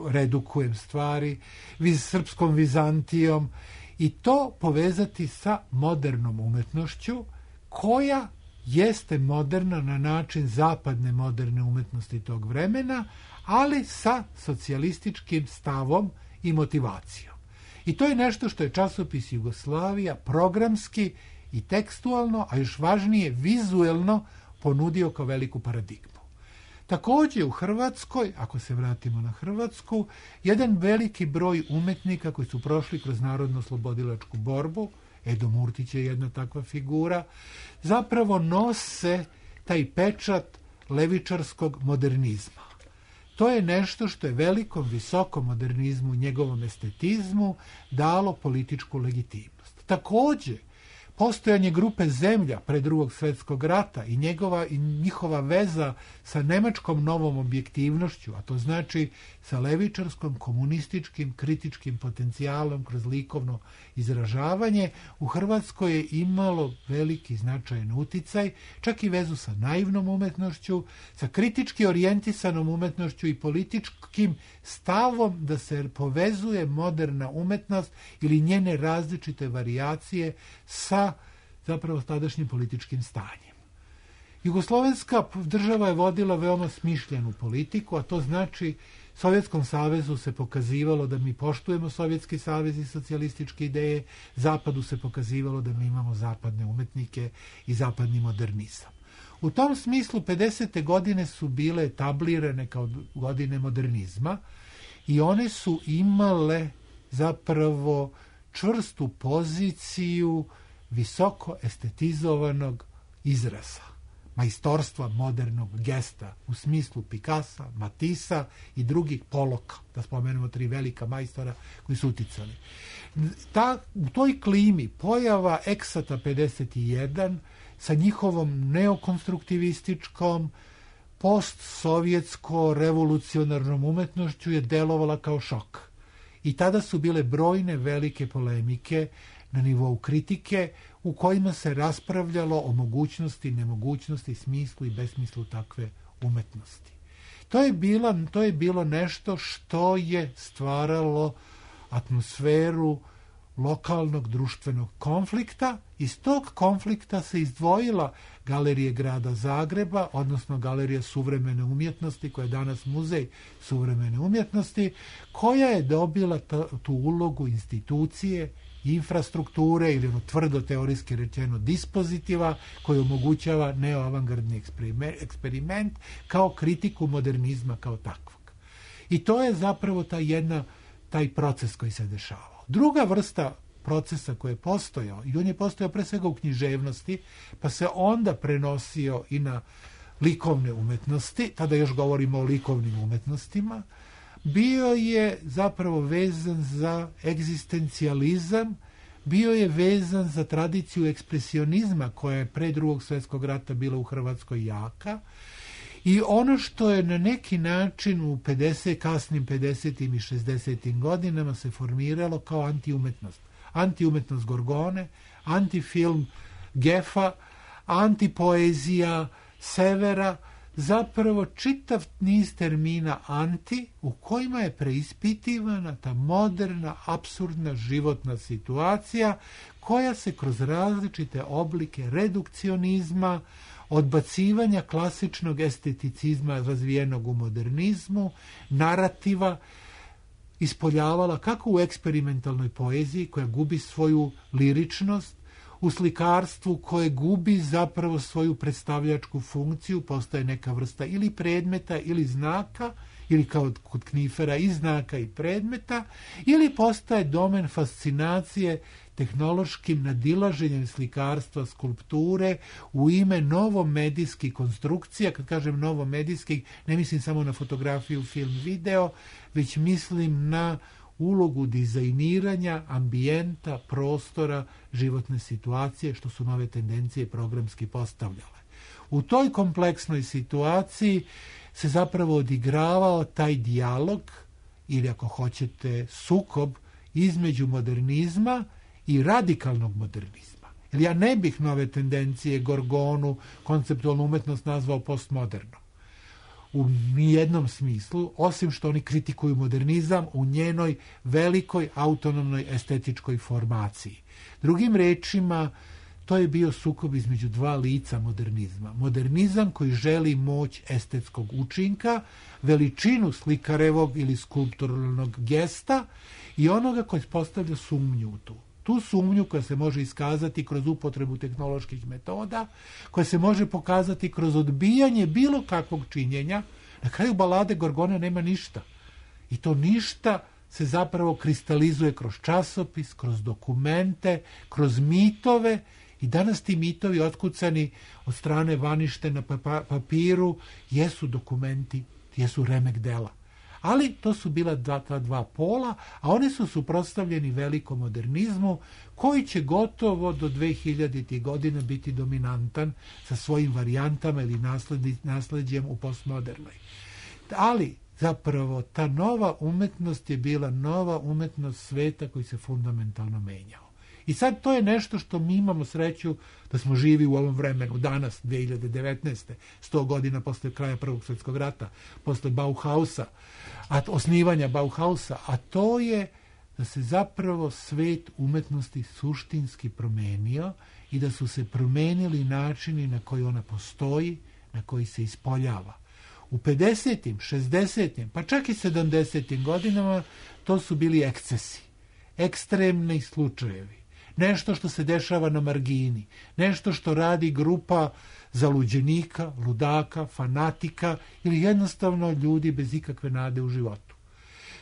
redukujem stvari, viz, srpskom Vizantijom, i to povezati sa modernom umetnošću koja jeste moderna na način zapadne moderne umetnosti tog vremena, ali sa socijalističkim stavom i motivacijom. I to je nešto što je časopis Jugoslavija programski i tekstualno, a još važnije vizuelno ponudio kao veliku paradigmu. Također u Hrvatskoj, ako se vratimo na Hrvatsku, jedan veliki broj umetnika koji su prošli kroz narodno-oslobodilačku borbu, Edo Murtić je jedna takva figura, zapravo nose taj pečat levičarskog modernizma. To je nešto što je velikom, visokom modernizmu i njegovom estetizmu dalo političku legitimnost. Također, postojanje grupe Zemlja pre drugog svjetskog rata i njegova i njihova veza sa nemačkom novom objektivnošću, a to znači sa levičarskom, komunističkim, kritičkim potencijalom kroz likovno izražavanje, u Hrvatskoj je imalo veliki značajan uticaj, čak i vezu sa naivnom umetnošću, sa kritički orijentisanom umetnošću i političkim stavom da se povezuje moderna umetnost ili njene različite varijacije sa zapravo tadašnjim političkim stanjem. Jugoslovenska država je vodila veoma smišljenu politiku, a to znači Sovjetskom savezu se pokazivalo da mi poštujemo Sovjetski savez i socijalističke ideje, Zapadu se pokazivalo da mi imamo zapadne umetnike i zapadni modernizam. U tom smislu pedesete godine su bile etablirane kao godine modernizma i one su imale zapravo čvrstu poziciju visoko estetizovanog izraza, majstorstva modernog gesta u smislu Picassa, Matissa i drugih, Poloka, da spomenemo tri velika majstora koji su uticali. Ta, u toj klimi pojava Eksata pedeset jedan sa njihovom neokonstruktivističkom, postsovjetsko-revolucionarnom umetnošću je delovala kao šok. I tada su bile brojne velike polemike na nivou kritike u kojima se raspravljalo o mogućnosti, nemogućnosti, smislu i besmislu takve umetnosti. To je, bila, to je bilo nešto što je stvaralo atmosferu lokalnog društvenog konflikta. Iz tog konflikta se izdvojila Galerija grada Zagreba, odnosno Galerija suvremene umjetnosti, koja je danas muzej suvremene umjetnosti, koja je dobila ta, tu ulogu institucije, infrastrukture ili ono tvrdo teorijski rečeno dispozitiva koji omogućava neoavangardni eksperiment kao kritiku modernizma kao takvog. I to je zapravo ta jedna, taj proces koji se dešavao. Druga vrsta procesa koji je postojao, i on je postojao pre svega u književnosti, pa se onda prenosio i na likovne umetnosti, tada još govorimo o likovnim umetnostima, bio je zapravo vezan za egzistencijalizam, bio je vezan za tradiciju ekspresionizma koja je pre drugog svjetskog rata bila u Hrvatskoj jaka. I ono što je na neki način u pedeset, kasnim pedesetim i šezdesetim godinama se formiralo kao antiumetnost. Antiumetnost Gorgone, antifilm Gefa, antipoezija Severa, zapravo čitav niz termina anti u kojima je preispitivana ta moderna, apsurdna životna situacija koja se kroz različite oblike redukcionizma, odbacivanja klasičnog esteticizma razvijenog u modernizmu, narativa, ispoljavala kako u eksperimentalnoj poeziji koja gubi svoju liričnost, u slikarstvu koje gubi zapravo svoju predstavljačku funkciju, postaje neka vrsta ili predmeta ili znaka, ili kao kod Knifera i znaka i predmeta, ili postaje domen fascinacije tehnološkim nadilaženjem slikarstva, skulpture u ime novomedijskih konstrukcija. Kad kažem novomedijskih, ne mislim samo na fotografiju, film, video, već mislim na ulogu dizajniranja ambijenta, prostora, životne situacije, što su nove tendencije programski postavljale. U toj kompleksnoj situaciji se zapravo odigravao taj dijalog, ili ako hoćete sukob, između modernizma i radikalnog modernizma. Jer ja ne bih nove tendencije, Gorgonu, konceptualnu umetnost nazvao postmoderno. U nijednom smislu, osim što oni kritikuju modernizam u njenoj velikoj autonomnoj estetičkoj formaciji. Drugim rečima, to je bio sukob između dva lica modernizma. Modernizam koji želi moć estetskog učinka, veličinu slikarevog ili skulpturalnog gesta i onoga koji postavlja sumnju u tu. Tu sumnju koja se može iskazati kroz upotrebu tehnoloških metoda, koja se može pokazati kroz odbijanje bilo kakvog činjenja. Na kraju balade Gorgone nema ništa. I to ništa se zapravo kristalizuje kroz časopis, kroz dokumente, kroz mitove. I danas ti mitovi otkucani od strane vanište na papiru jesu dokumenti, jesu remek dela. Ali to su bila dva, ta dva pola, a oni su suprotstavljeni velikom modernizmu koji će gotovo do dve hiljadite godina biti dominantan sa svojim varijantama ili nasleđem u postmodernoj. Ali zapravo ta nova umetnost je bila nova umetnost sveta koji se fundamentalno menjao. I sad to je nešto što mi imamo sreću da smo živi u ovom vremenu, danas, dve hiljade devetnaeste. sto godina posle kraja Prvog svjetskog rata, posle Bauhausa, a osnivanja Bauhausa, a to je da se zapravo svet umetnosti suštinski promenio i da su se promenili načini na koji ona postoji, na koji se ispoljava. U pedesetim, šezdesetim, pa čak i sedamdesetim godinama to su bili ekscesi, ekstremni slučajevi. nešto što se dešava na margini, nešto što radi grupa zaluđenika, ludaka, fanatika ili jednostavno ljudi bez ikakve nade u životu.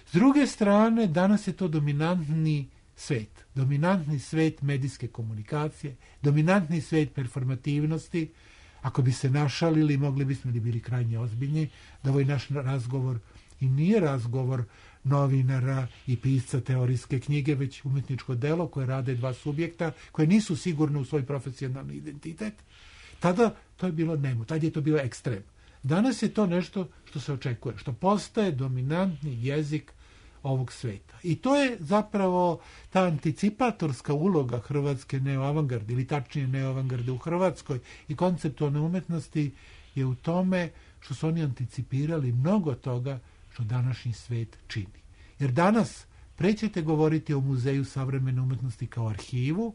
S druge strane, danas je to dominantni svet, dominantni svet medijske komunikacije, dominantni svet performativnosti. Ako bi se našalili, mogli bismo da bili krajnje ozbiljni, da ovaj naš razgovor i nije razgovor novinara i pisca teorijske knjige, već umetničko delo koje rade dva subjekta, koje nisu sigurne u svoj profesionalni identitet. Tada to je bilo nemo, tada je to bilo ekstrem. Danas je to nešto što se očekuje, što postaje dominantni jezik ovog sveta. I to je zapravo ta anticipatorska uloga hrvatske neoavangarde, ili tačnije neoavangarde u Hrvatskoj i konceptualne umetnosti je u tome što su oni anticipirali mnogo toga što današnji svet čini. Jer danas prećete govoriti o Muzeju savremene umetnosti kao arhivu,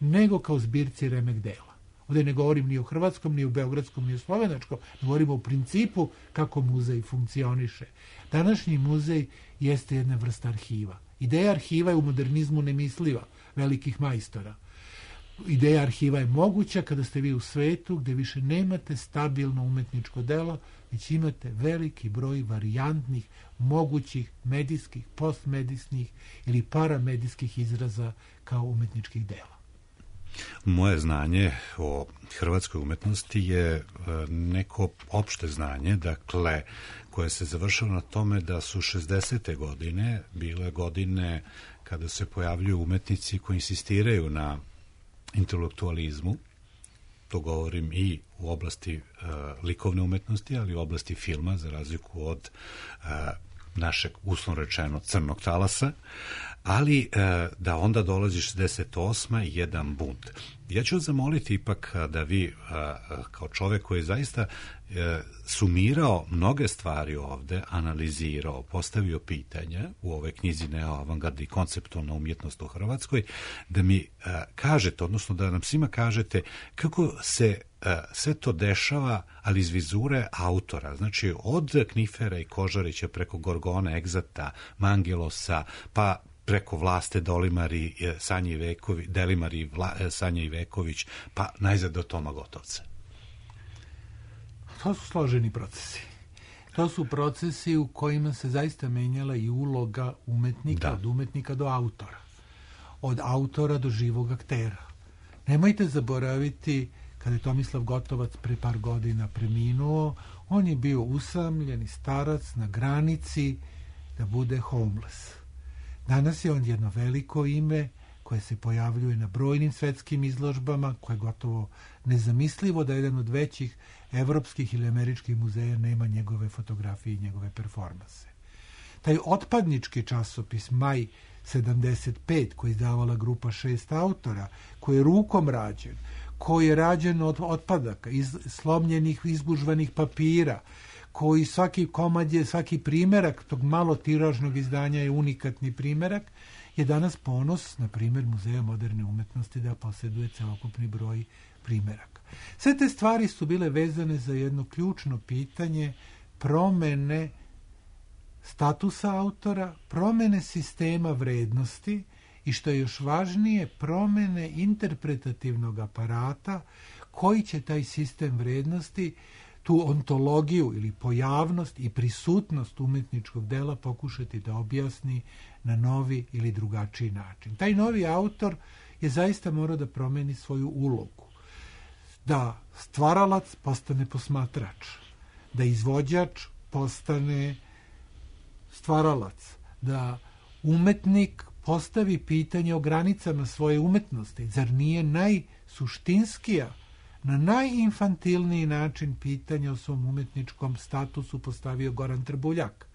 nego kao zbirci remek dela. Ovdje ne govorim ni o hrvatskom, ni o beogradskom, ni o slovenačkom, govorimo o principu kako muzej funkcioniše. Današnji muzej jeste jedna vrsta arhiva. Ideja arhiva je u modernizmu nemisliva, velikih majstora. Ideja arhiva je moguća kada ste vi u svetu gdje više nemate stabilno umetničko delo, već imate veliki broj varijantnih, mogućih medijskih, postmedijskih ili paramedijskih izraza kao umetničkih dela. Moje znanje o hrvatskoj umetnosti je neko opšte znanje, dakle, koje se završilo na tome da su šezdesete godine bile godine kada se pojavljuju umetnici koji insistiraju na intelektualizmu. To govorim i u oblasti uh, likovne umetnosti, ali i u oblasti filma, za razliku od uh, našeg, uslovno rečeno, crnog talasa, ali uh, da onda dolazi šezdeset osma i jedan bunt. Ja ću zamoliti ipak da vi, uh, kao čovjek koji je zaista uh, sumirao mnoge stvari ovde, analizirao, postavio pitanja u ovoj knjizi Neoavangarda i konceptualna umjetnost u Hrvatskoj, da mi uh, kažete, odnosno da nam svima kažete kako se uh, sve to dešava, ali iz vizure autora. Znači, od Knifera i Kožarića preko Gorgona, Egzata, Mangelosa, pa preko Vlaste Dolimari, Sanje Iveković, Delimari, Vla, Sanje Iveković, pa najzad do Toma Gotovca. To su složeni procesi. To su procesi u kojima se zaista menjala i uloga umetnika, da. Od umetnika do autora. Od autora do živog aktera. Nemojte zaboraviti, kada je Tomislav Gotovac pre par godina preminuo, on je bio usamljeni starac na granici da bude homeless. Danas je on jedno veliko ime koje se pojavljuje na brojnim svetskim izložbama, koje je gotovo nezamislivo da jedan od većih evropskih ili američkih muzeja nema njegove fotografije i njegove performanse. Taj otpadnički časopis Maj sedamdeset pet, koji je izdavala grupa šest autora, koji je rukom rađen, koji je rađen od otpadaka, iz slomljenih, izgužvanih papira, koji svaki komad je, svaki primerak tog malo tiražnog izdanja je unikatni primerak, je danas ponos, na primjer, Muzeja moderne umetnosti da posjeduje celokupni broj primeraka. Sve te stvari su bile vezane za jedno ključno pitanje promene statusa autora, promene sistema vrednosti i, što je još važnije, promene interpretativnog aparata koji će taj sistem vrednosti, tu ontologiju ili pojavnost i prisutnost umetničkog dela pokušati da objasni na novi ili drugačiji način. Taj novi autor je zaista morao da promeni svoju ulogu. Da stvaralac postane posmatrač, da izvođač postane stvaralac, da umetnik postavi pitanje o granicama svoje umetnosti. Zar nije najsuštinskija, na najinfantilniji način pitanja o svom umetničkom statusu postavio Goran Trbuljak?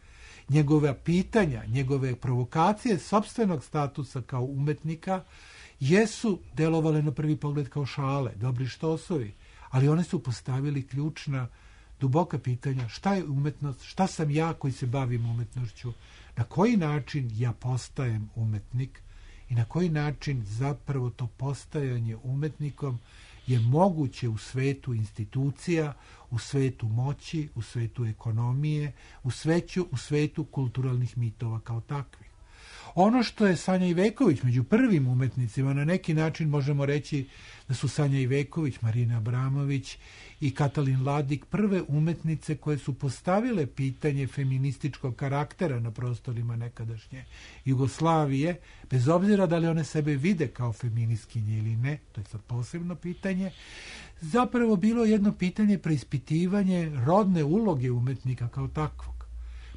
Njegove pitanja, njegove provokacije sopstvenog statusa kao umetnika jesu delovale na prvi pogled kao šale, dobri štosovi, ali one su postavili ključna, duboka pitanja: šta je umetnost, šta sam ja koji se bavim umetnošću, na koji način ja postajem umetnik i na koji način zapravo to postajanje umetnikom je moguće u svetu institucija, u svetu moći, u svetu ekonomije, u svetu, u svetu kulturalnih mitova kao takvih. Ono što je Sanja Iveković među prvim umetnicima, na neki način možemo reći da su Sanja Iveković, Marina Abramović i Katalin Ladik prve umetnice koje su postavile pitanje feminističkog karaktera na prostorima nekadašnje Jugoslavije, bez obzira da li one sebe vide kao feministkinje ili ne, to je sad posebno pitanje, zapravo bilo jedno pitanje preispitivanje rodne uloge umetnika kao takvog.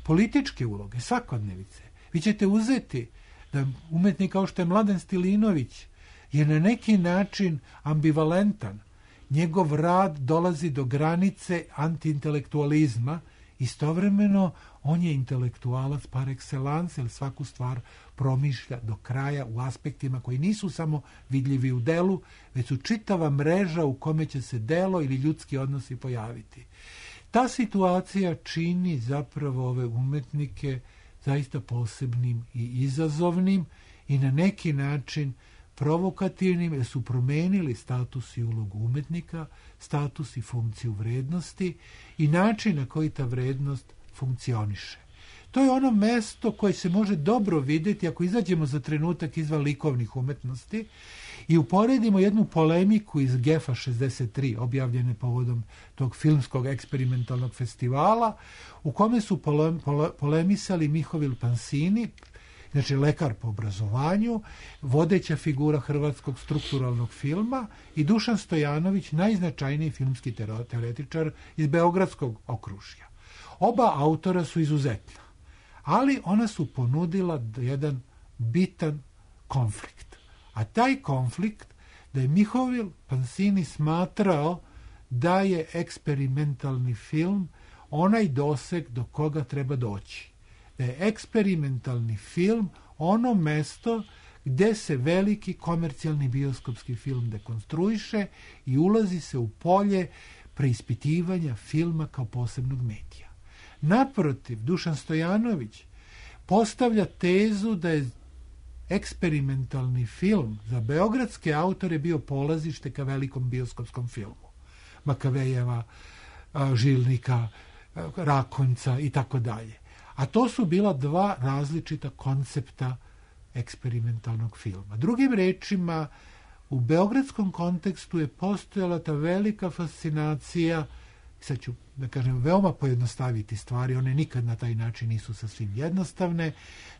Političke uloge, svakodnevice. Vi ćete uzeti da umetnik kao što je Mladen Stilinović je na neki način ambivalentan. Njegov rad dolazi do granice antiintelektualizma, istovremeno on je intelektualac par excellence, jer svaku stvar promišlja do kraja u aspektima koji nisu samo vidljivi u delu, već su čitava mreža u kome će se delo ili ljudski odnosi pojaviti. Ta situacija čini zapravo ove umetnike zaista posebnim i izazovnim i na neki način provokativnim, jer su promenili status i ulogu umetnika, status i funkciju vrednosti i način na koji ta vrednost funkcioniše. To je ono mesto koje se može dobro vidjeti ako izađemo za trenutak izvan likovnih umetnosti i uporedimo jednu polemiku iz Gefa šezdeset tri, objavljene povodom tog filmskog eksperimentalnog festivala, u kome su pole, pole, polemisali Mihovil Pansini, znači lekar po obrazovanju, vodeća figura hrvatskog strukturalnog filma, i Dušan Stojanović, najznačajniji filmski teoretičar iz beogradskog okružja. Oba autora su izuzetna, ali ona su ponudila jedan bitan konflikt. A taj konflikt da je Mihovil Pansini smatrao da je eksperimentalni film onaj doseg do koga treba doći. Da je eksperimentalni film ono mesto gde se veliki komercijalni bioskopski film dekonstruiše i ulazi se u polje preispitivanja filma kao posebnog medija. Naprotiv, Dušan Stojanović postavlja tezu da je eksperimentalni film za beogradske autore bio polazište ka velikom bioskopskom filmu. Makavejeva, Žilnika, Rakonjca i tako dalje. A to su bila dva različita koncepta eksperimentalnog filma. Drugim rečima, u beogradskom kontekstu je postojala ta velika fascinacija, sad ću da kažem veoma pojednostaviti stvari, one nikad na taj način nisu sasvim jednostavne,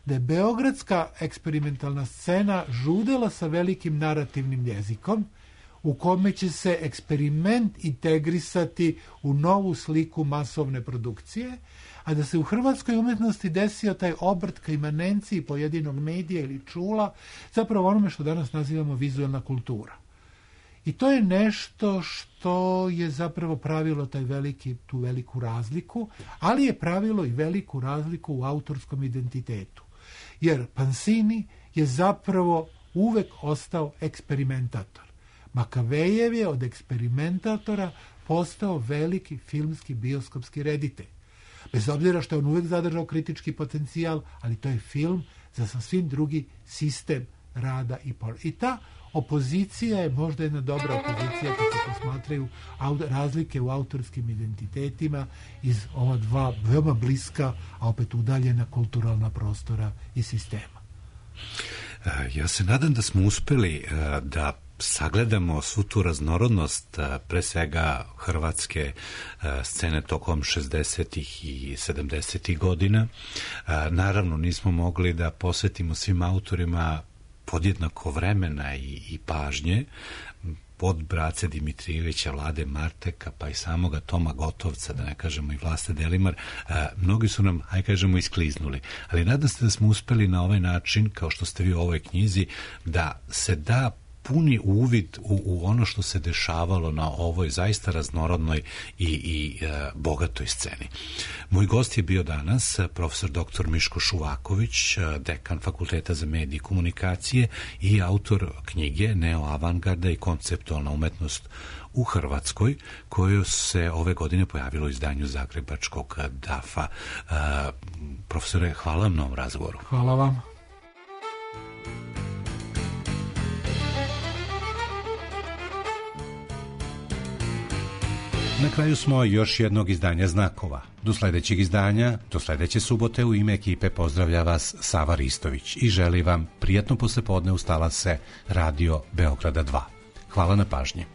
da je beogradska eksperimentalna scena žudela sa velikim narativnim jezikom, u kome će se eksperiment integrisati u novu sliku masovne produkcije, a da se u hrvatskoj umetnosti desio taj obrt ka imanenciji pojedinog medija ili čula, zapravo onome što danas nazivamo vizualna kultura. I to je nešto što je zapravo pravilo taj veliki, tu veliku razliku, ali je pravilo i veliku razliku u autorskom identitetu. Jer Pansini je zapravo uvek ostao eksperimentator. Makavejev je od eksperimentatora postao veliki filmski bioskopski reditelj. Bez obzira što je on uvek zadržao kritički potencijal, ali to je film za sasvim drugi sistem rada i por. I ta opozicija je možda jedna dobra opozicija kad se posmatraju razlike u autorskim identitetima iz ova dva veoma bliska, a opet udaljena kulturalna prostora i sistema. Ja se nadam da smo uspeli da sagledamo svu tu raznorodnost, pre svega hrvatske scene tokom šezdesetih i sedamdesetih godina. Naravno, nismo mogli da posvetimo svim autorima podjednako vremena i, i pažnje, od Brace Dimitrijevića, Vlade Marteka, pa i samoga Toma Gotovca, da ne kažemo i Vlaste Delimar, a, mnogi su nam, aj kažemo, iskliznuli. Ali nadam se da smo uspeli na ovaj način, kao što ste vi u ovoj knjizi, da se da puni uvid u, u ono što se dešavalo na ovoj zaista raznorodnoj i, i e, bogatoj sceni. Moj gost je bio danas profesor doktor Miško Šuvaković, dekan Fakulteta za medije i komunikacije i autor knjige Neoavangarda i konceptualna umetnost u Hrvatskoj, koju se ove godine pojavilo u izdanju Zagrebačkog dafa. E, profesore, hvala vam na ovom razgovoru. Hvala vam. Na kraju smo još jednog izdanja Znakova. Do sledećeg izdanja, do sledeće subote u ime ekipe pozdravlja vas Sava Ristović i želi vam prijatno poslepodne uz talase Radio Beograda dva. Hvala na pažnji.